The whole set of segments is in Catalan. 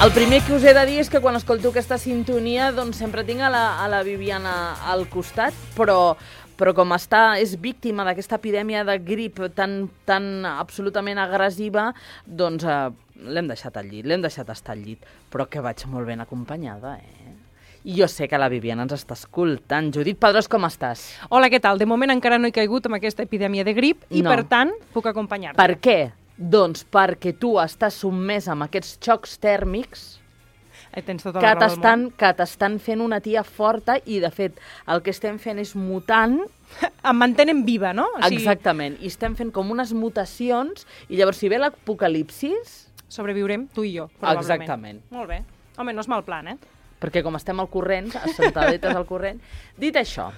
El primer que us he de dir és que quan escolto aquesta sintonia doncs sempre tinc a la Viviana al costat, però com és víctima d'aquesta epidèmia de grip tan absolutament agressiva, doncs l'hem deixat al llit, l'hem deixat estar al llit, però que vaig molt ben acompanyada, I jo sé que la Viviana ens està escoltant. Judit Pedrós, com estàs? Hola, què tal? De moment encara no he caigut amb aquesta epidèmia de grip i, per tant, puc acompanyar-te. Per què? Doncs perquè tu estàs sotmès amb aquests xocs tèrmics que t'estan fent una tia forta i, de fet, el que estem fent és mutant. Em mantenen viva, no? Exactament. I estem fent com unes mutacions i llavors, si ve l'apocalipsis... Sobreviurem tu i jo, probablement. Exactament. Molt bé. Home, no és mal plan, Perquè com estem al corrent, assentadetes al corrent... Dit això,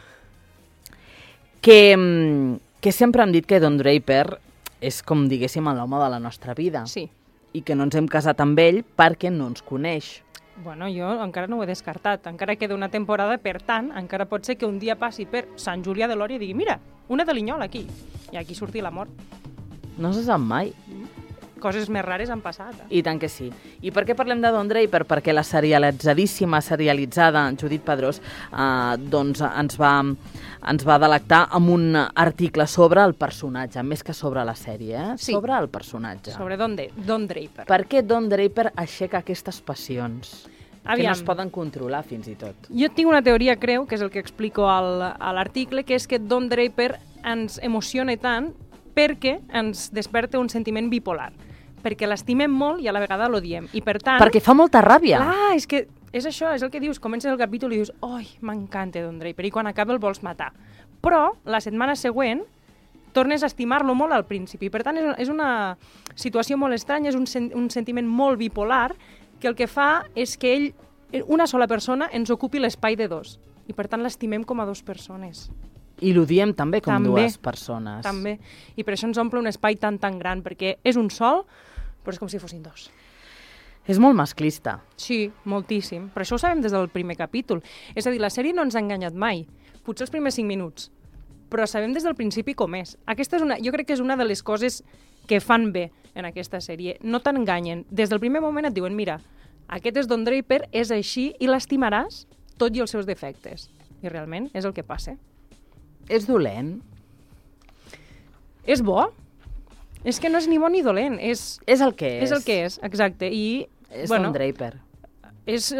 que sempre hem dit que Don Draper és com, diguéssim, l'home de la nostra vida. Sí. I que no ens hem casat amb ell perquè no ens coneix. Bueno, jo encara no ho he descartat. Encara queda una temporada, per tant, encara pot ser que un dia passi per Sant Julià de Lòria i digui, mira, una de Linyola aquí. I aquí surti l'amor. No se sap mai. Coses més rares han passat. I tant que sí. I per què parlem de Don Draper? Perquè la serialitzada Judit Pedrós doncs ens va delectar amb un article sobre el personatge, més que sobre la sèrie, Sí. Sobre el personatge. Sobre Don Draper. Per què Don Draper aixeca aquestes passions? Aviam. Que no es poden controlar, fins i tot. Jo tinc una teoria, creu, que és el que explico a l'article, que és que Don Draper ens emociona tant perquè ens desperta un sentiment bipolar. Perquè l'estimem molt i a la vegada l'odiem. I per tant... Perquè fa molta ràbia. Clar, és que és això, és el que dius. Comences el capítol i dius, oi, m'encanta Don Draper, i quan acaba el vols matar. Però la setmana següent tornes a estimar-lo molt al principi. I per tant és una situació molt estranya, és un sentiment molt bipolar, que el que fa és que ell, una sola persona, ens ocupi l'espai de dos. I per tant l'estimem com a dues persones. I l'odiem també com dues persones. També. I per això ens omple un espai tan gran, perquè és un sol, però és com si fossin dos. És molt masclista. Sí, moltíssim. Però això ho sabem des del primer capítol. És a dir, la sèrie no ens ha enganyat mai. Potser els primers 5 minuts. Però sabem des del principi com és. Jo crec que és una de les coses que fan bé en aquesta sèrie. No t'enganyen. Des del primer moment et diuen, mira, aquest és Don Draper, és així, i l'estimaràs tot i els seus defectes. I realment és el que passa. És dolent? És bo? És que no és ni bo ni dolent. És el que és. És el que és, exacte. I, és Don Draper. És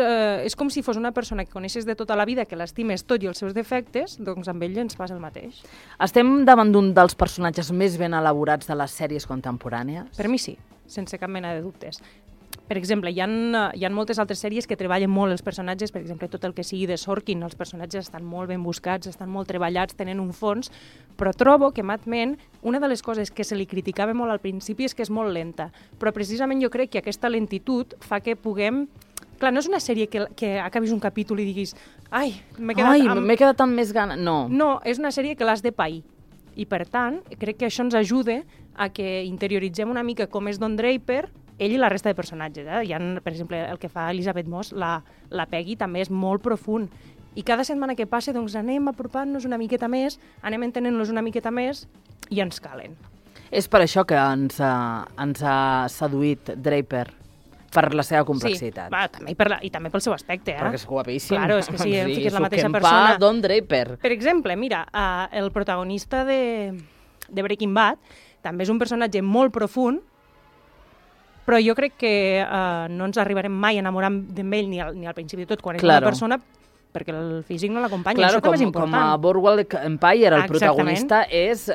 com si fos una persona que coneixes de tota la vida, que l'estimes tot i els seus defectes, doncs amb ell ens passa el mateix. Estem davant d'un dels personatges més ben elaborats de les sèries contemporànies? Per mi sí, sense cap mena de dubtes. Per exemple, hi ha moltes altres sèries que treballen molt els personatges, per exemple, tot el que sigui de Sorkin, els personatges estan molt ben buscats, estan molt treballats, tenen un fons, però trobo que Mad Men, una de les coses que se li criticava molt al principi és que és molt lenta, però precisament jo crec que aquesta lentitud fa que puguem... Clar, no és una sèrie que acabis un capítol i diguis ai, m'he quedat amb més gana. No. No, és una sèrie que l'has de pair. I per tant, crec que això ens ajuda a que interioritzem una mica com és Don Draper, ell i la resta de personatges. Hi ha, per exemple, el que fa Elizabeth Moss, la Peggy, també és molt profund. I cada setmana que passa, doncs anem apropant-nos una miqueta més, anem entenent-los una miqueta més i ens calen. És per això que ens ha seduït Draper, per la seva complexitat. Sí, i també pel seu aspecte. Perquè és guapíssim. Claro, és que sí, és la mateixa persona. Don Draper. Per exemple, mira, el protagonista de Breaking Bad també és un personatge molt profund, però jo crec que no ens arribarem mai a enamorar d'ell ni al principi de tot, quan és una persona, perquè el físic no l'acompanya. Això també és important. Com a Boardwalk Empire, el protagonista és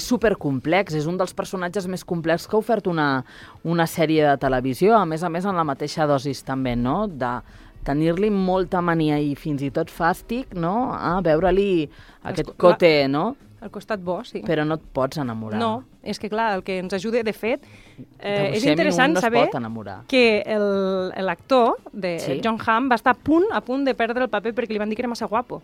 supercomplex, és un dels personatges més complexos que ha ofert una sèrie de televisió, a més en la mateixa dosis també, no?, de tenir-li molta mania i fins i tot fàstic, no?, a veure-li aquest cote, no?, al costat bo, sí. Però no et pots enamorar. No, és que clar, el que ens ajuda, de fet, és interessant saber que l'actor de John Hamm va estar a punt de perdre el paper perquè li van dir que era massa guapo.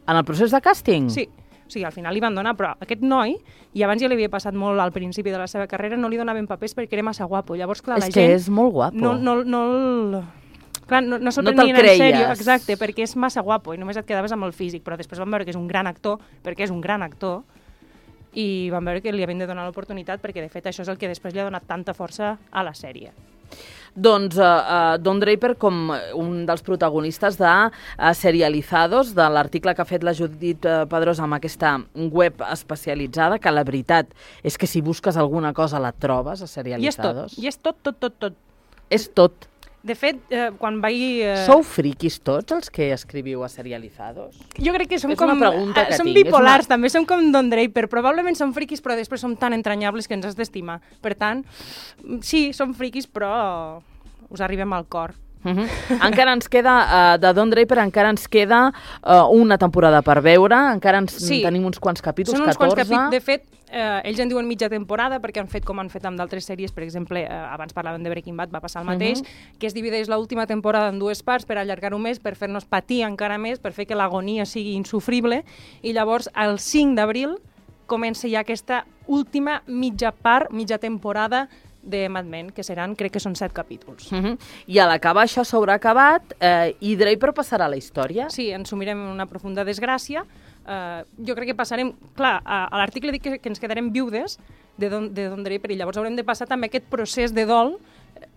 En el procés de càsting? Sí. O sigui, al final li van donar, però aquest noi, i abans ja li havia passat molt al principi de la seva carrera, no li donaven papers perquè era massa guapo. Llavors, clar, la gent... És que és molt guapo. Clar, no se'l prenien en sèrio, exacte, perquè és massa guapo i només et quedaves amb el físic, però després vam veure que és un gran actor, perquè és un gran actor, i van veure que li havien de donar l'oportunitat perquè, de fet, això és el que després li ha donat tanta força a la sèrie. Doncs Don Draper com un dels protagonistes de Serializados, de l'article que ha fet la Judit Pedrosa amb aquesta web especialitzada, que la veritat és que si busques alguna cosa la trobes a Serializados. I és tot. És tot. De fet, quan vaig... Sou friquis tots els que escriviu a Serializados? Jo crec que som és com... una pregunta que som tinc. bipolars, també som com Don Draper. Probablement som friquis, però després som tan entranyables que ens has d'estimar. Per tant, sí, som friquis, però us arribem al cor. Encara ens queda, de Don Draper encara ens queda una temporada per veure, encara tenim uns quants capítols, són uns 14. Quants capítols. De fet, ells en diuen mitja temporada perquè han fet com han fet amb d'altres sèries, per exemple, abans parlàvem de Breaking Bad, va passar el mateix, que es divideix l'última temporada en dues parts per allargar-ho més, per fer-nos patir encara més, per fer que l'agonia sigui insufrible, i llavors el 5 d'abril comença ja aquesta última mitja temporada de Mad Men, que seran, crec que són 7 capítols. I a l'acabar això s'haurà acabat i Draper passarà a la història? Sí, ens sumirem en una profunda desgràcia. Jo crec que passarem... Clar, a l'article dic que ens quedarem viudes de Don Draper i llavors haurem de passar també aquest procés de dol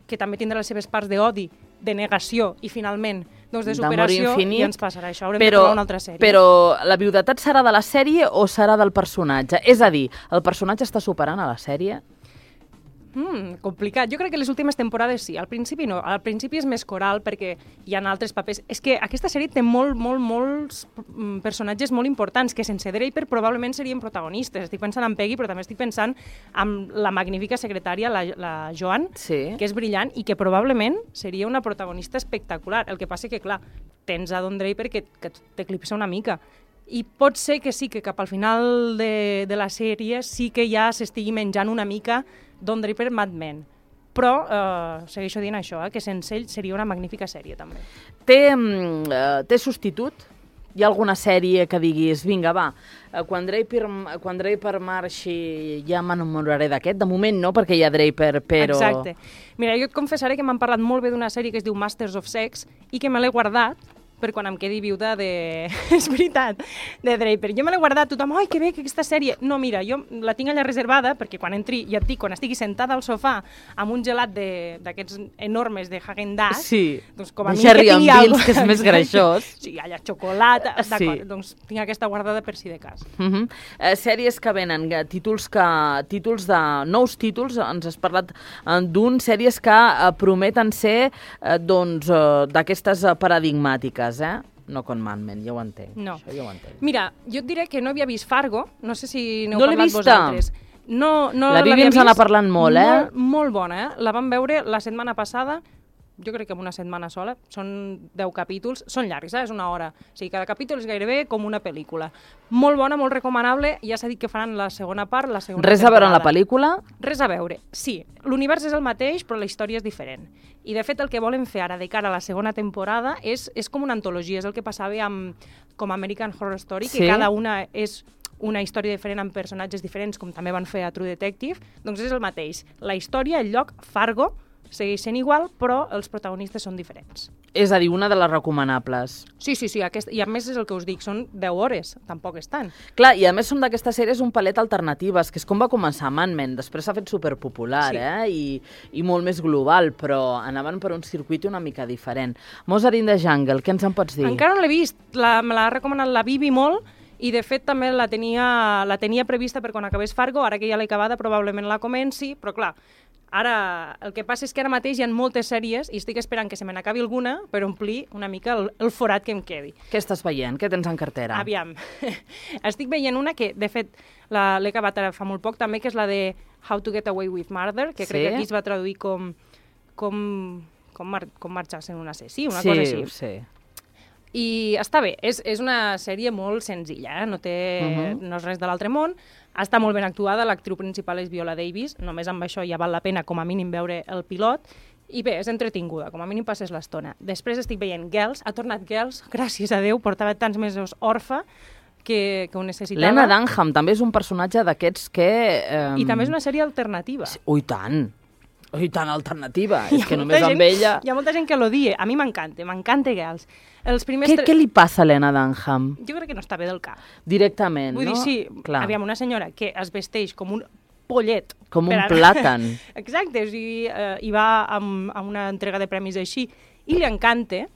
que també tindrà les seves parts d'odi, de negació i finalment doncs de superació i ens passarà això. Haurem de trobar una altra sèrie. Però la viudetat serà de la sèrie o serà del personatge? És a dir, el personatge està superant a la sèrie? Complicat. Jo crec que les últimes temporades sí. Al principi no. Al principi és més coral perquè hi ha altres papers. És que aquesta sèrie té molts personatges molt importants que sense Draper probablement serien protagonistes. Estic pensant en Peggy, però també estic pensant en la magnífica secretària, la Joan, que és brillant i que probablement seria una protagonista espectacular. El que passa que, clar, tens a Don Draper que t'eclipsa una mica. I pot ser que sí, que cap al final de la sèrie sí que ja s'estigui menjant una mica Don Draper Mad Men. Però segueixo dient això, que sense ell seria una magnífica sèrie, també. Té substitut? Hi ha alguna sèrie que diguis, vinga, va, quan Draper marxi ja m'enamoraré d'aquest? De moment no, perquè hi ha Draper, però... Exacte. Mira, jo et confessaré que m'han parlat molt bé d'una sèrie que es diu Masters of Sex i que me l'he guardat per quan em quedi viuda de... És veritat, de Draper. Jo me l'he guardat, tothom, ai, que bé, que aquesta sèrie... No, mira, jo la tinc allà reservada perquè quan entri, ja et dic, quan estigui sentada al sofà amb un gelat d'aquests enormes de Häagen-Dazs, doncs com a mi que tingui alguna cosa... que és més greixós. Sí, allà xocolata, d'acord, doncs tinc aquesta guardada per si de cas. Sèries que venen, nous títols, ens has parlat d'un, sèries que prometen ser d'aquestes paradigmàtiques, no con Mad Men, ja ho entenc. No. Això ja ho entenc. Mira, jo et diré que no havia vist Fargo, no sé si n'heu parlat vosaltres. No Vivi ens n'ha parlat molt, Molt bona, la vam veure la setmana passada, jo crec que en una setmana sola, són 10 capítols, són llargs, és una hora, o sigui, cada capítol és gairebé com una pel·lícula. Molt bona, molt recomanable, ja s'ha dit que faran la segona part, la segona temporada. Res a veure amb la pel·lícula? Res a veure, sí. L'univers és el mateix, però la història és diferent. I, de fet, el que volen fer ara de cara a la segona temporada és com una antologia, és el que passava com American Horror Story, que cada una és una història diferent amb personatges diferents, com també van fer a True Detective, doncs és el mateix. La història, el lloc, Fargo, segueix sent igual, però els protagonistes són diferents. És a dir, una de les recomanables. Sí, i a més és el que us dic, són 10 hores, tampoc és tant. Clar, i a més són d'aquestes sèries un palet alternatives, que és com va començar Mad Men, després s'ha fet superpopular, i molt més global, però anaven per un circuit una mica diferent. Mozart in the Jungle, què ens en pots dir? Encara no l'he vist, me l'ha recomanat la Bibi molt, i de fet també la tenia prevista per quan acabés Fargo, ara que ja l'he acabada probablement la comenci, però clar, ara el que passa és que ara mateix hi ha moltes sèries i estic esperant que se me n'acabi alguna per omplir una mica el forat que em quedi. Què estàs veient? Què tens en cartera? Aviam, estic veient una que de fet l'he acabat ara fa molt poc també, que és la de How to Get Away with Murder, que crec que aquí es va traduir com marxar-se en un assassí, una cosa així. Sí. I està bé, és una sèrie molt senzilla, no és res de l'altre món, està molt ben actuada, l'actriu principal és Viola Davis, només amb això ja val la pena com a mínim veure el pilot, i bé, és entretinguda, com a mínim passes l'estona. Després estic veient Girls, ha tornat Girls, gràcies a Déu, portava tants mesos orfa que ho necessitava. Lena Dunham també és un personatge d'aquests que... I també és una sèrie alternativa. Ui, tant! Oi, tan alternativa. És que només amb ella... Hi ha molta gent que l'odia. A mi m'encanta Girls. Què li passa a Lena Dunham? Jo crec que no està bé del cap. Directament, Vull no? dir, sí, Clar. aviam, una senyora que es vesteix com un pollet. Com un plàtan. Exacte, o sigui, hi va a una entrega de premis així i li encanta,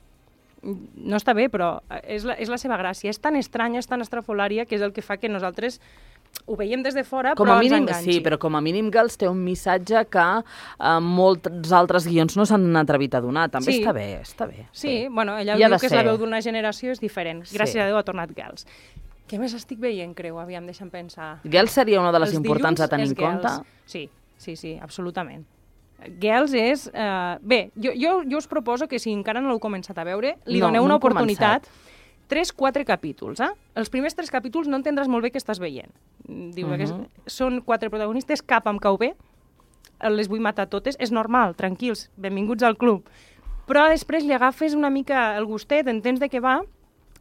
no està bé, però és la seva gràcia. És tan estranya, és tan estrafolària, que és el que fa que nosaltres ho veiem des de fora, però ens enganxi. Sí, però com a mínim Girls té un missatge que molts altres guions no s'han atrevit a donar. També està bé, està bé. Sí, bueno, ella diu que és la veu d'una generació, és diferent. Gràcies a Déu ha tornat Girls. Què més estic veient, creu? Aviam, deixa'm pensar. Girls seria una de les importants a tenir en compte? Sí, absolutament. Girls és... Bé, jo us proposo que si encara no l'heu començat a veure, li doneu una oportunitat. 3-4 capítols, Els primers 3 capítols no entendràs molt bé què estàs veient. Diu que són 4 protagonistes, cap em cau bé, les vull matar totes, és normal, tranquils, benvinguts al club. Però després li agafes una mica el gustet, entens de què va,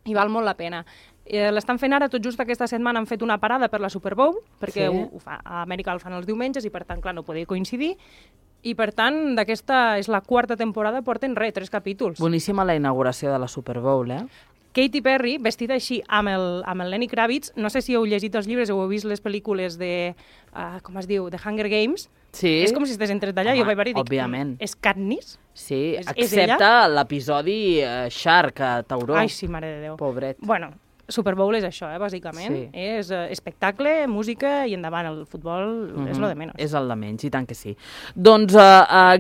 i val molt la pena. L'estan fent ara, tot just aquesta setmana han fet una parada per la Super Bowl, perquè a Amèrica el fan els diumenges i per tant, clar, no podia coincidir, i per tant, d'aquesta és la 4ª temporada, porten 3 capítols. Boníssima la inauguració de la Super Bowl, Katy Perry, vestida així amb el Lenny Kravitz, no sé si heu llegit els llibres o heu vist les pel·lícules de, com es diu, The Hunger Games. Sí. És com si estigués entret d'allà. Jo vaig veure i dic, òbviament. És Katniss? Sí, excepte l'episodi Shark, a Tauró. Ai, sí, mare de Déu. Pobret. Bueno, Super Bowl és això, bàsicament. Sí. És espectacle, música i endavant. El futbol és lo de menys. És el de menys, i tant que sí. Doncs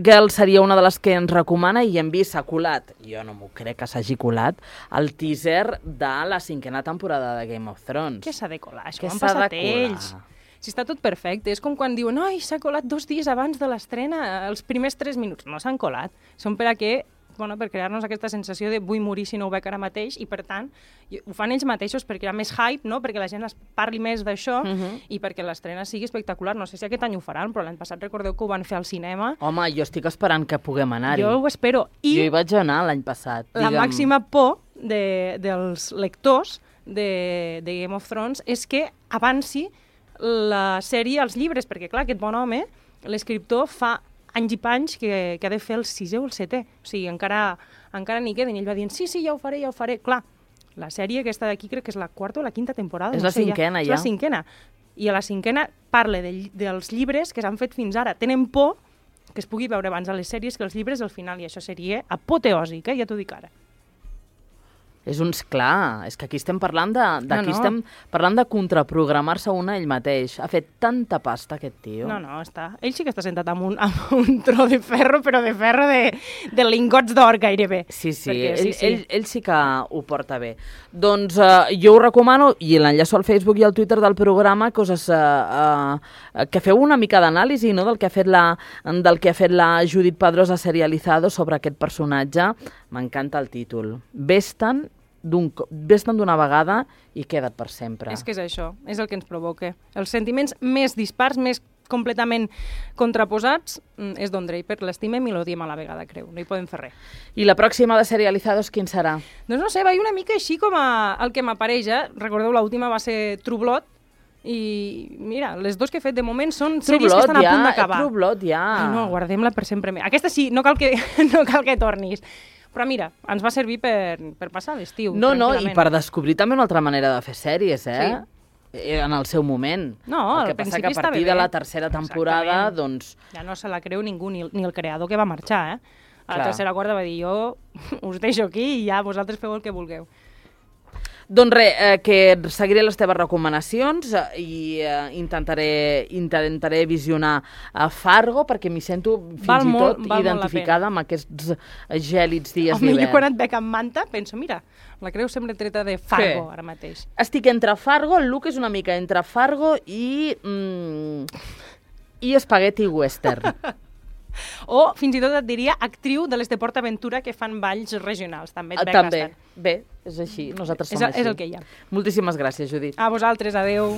Girls seria una de les que ens recomana i hem vist, s'ha colat, jo no m'ho crec que s'hagi colat, el teaser de la 5a temporada de Game of Thrones. Què s'ha de colar? Això m'han passat ells. Si està tot perfecte. És com quan diuen s'ha colat 2 dies abans de l'estrena, els primers 3 minuts. No s'han colat. Són per a què... per crear-nos aquesta sensació de vull morir si no ho veig ara mateix, i per tant ho fan ells mateixos perquè hi ha més hype, no? Perquè la gent es parli més d'això i perquè l'estrena sigui espectacular. No sé si aquest any ho faran, però l'any passat recordeu que ho van fer al cinema. Home, jo estic esperant que puguem anar-hi. Jo ho espero. Jo hi vaig anar l'any passat. La màxima por dels lectors de Game of Thrones és que avanci la sèrie als llibres, perquè clar, aquest bon home, l'escriptor, fa anys i panys que ha de fer el 6è o el 7è. O sigui, encara n'hi queden. I ell va dient, sí, ja ho faré. Clar, la sèrie aquesta d'aquí crec que és la 4ª o la 5a temporada. És la 5a, ja. És la 5a. I a la 5a parla dels llibres que s'han fet fins ara. Tenen por que es pugui veure abans a les sèries que els llibres al final, i això seria apoteòsic, ja t'ho dic ara. És clar, és que aquí estem parlant estem parlant de contraprogramar-se un ell mateix. Ha fet tanta pasta aquest tio. No, està. Ell sí que està sentat amb un tro de ferro, però de ferro de lingots d'or gairebé. Sí, ell sí que ho porta bé. Doncs jo ho recomano, i l'enllaço al Facebook i al Twitter del programa, coses que feu una mica d'anàlisi, no?, del que ha fet la Judit Pedrosa Serializado sobre aquest personatge. M'encanta el títol. Vés-te'n d'una vegada i queda't per sempre. És que és això, és el que ens provoca. Els sentiments més dispars, més completament contraposats, és Don Draper. L'estimem i l'odiem a la vegada, creu. No hi podem fer res. I la pròxima de Serializados, quin serà? Doncs no sé, va una mica així com el que m'apareix. Recordeu, l'última va ser True Blood, i mira, les 2 que he fet de moment són sèries que estan a punt d'acabar. True Blood, ja. Ai, no, guardem-la per sempre. Aquesta sí, no cal que tornis. Però mira, ens va servir per passar l'estiu. No, i per descobrir també una altra manera de fer sèries, Sí. En el seu moment. No, el que passa que a partir de la 3a temporada, doncs... Ja no se la creu ningú, ni el creador que va marxar, A la 3a quarta va dir, jo us deixo aquí i ja vosaltres feu el que vulgueu. Doncs res, que seguiré les teves recomanacions i intentaré visionar Fargo, perquè m'hi sento fins i tot identificada amb aquests gèlids dies d'hivern. Jo quan et veig amb manta penso, mira, la creu sembla treta de Fargo ara mateix. Estic entre Fargo, el look és una mica entre Fargo i espagueti western. O, fins i tot et diria, actriu de les de PortAventura que fan balls regionals. També et veig bastant. Bé, és així. Nosaltres som així. És el que hi ha. Moltíssimes gràcies, Judit. A vosaltres, adeu.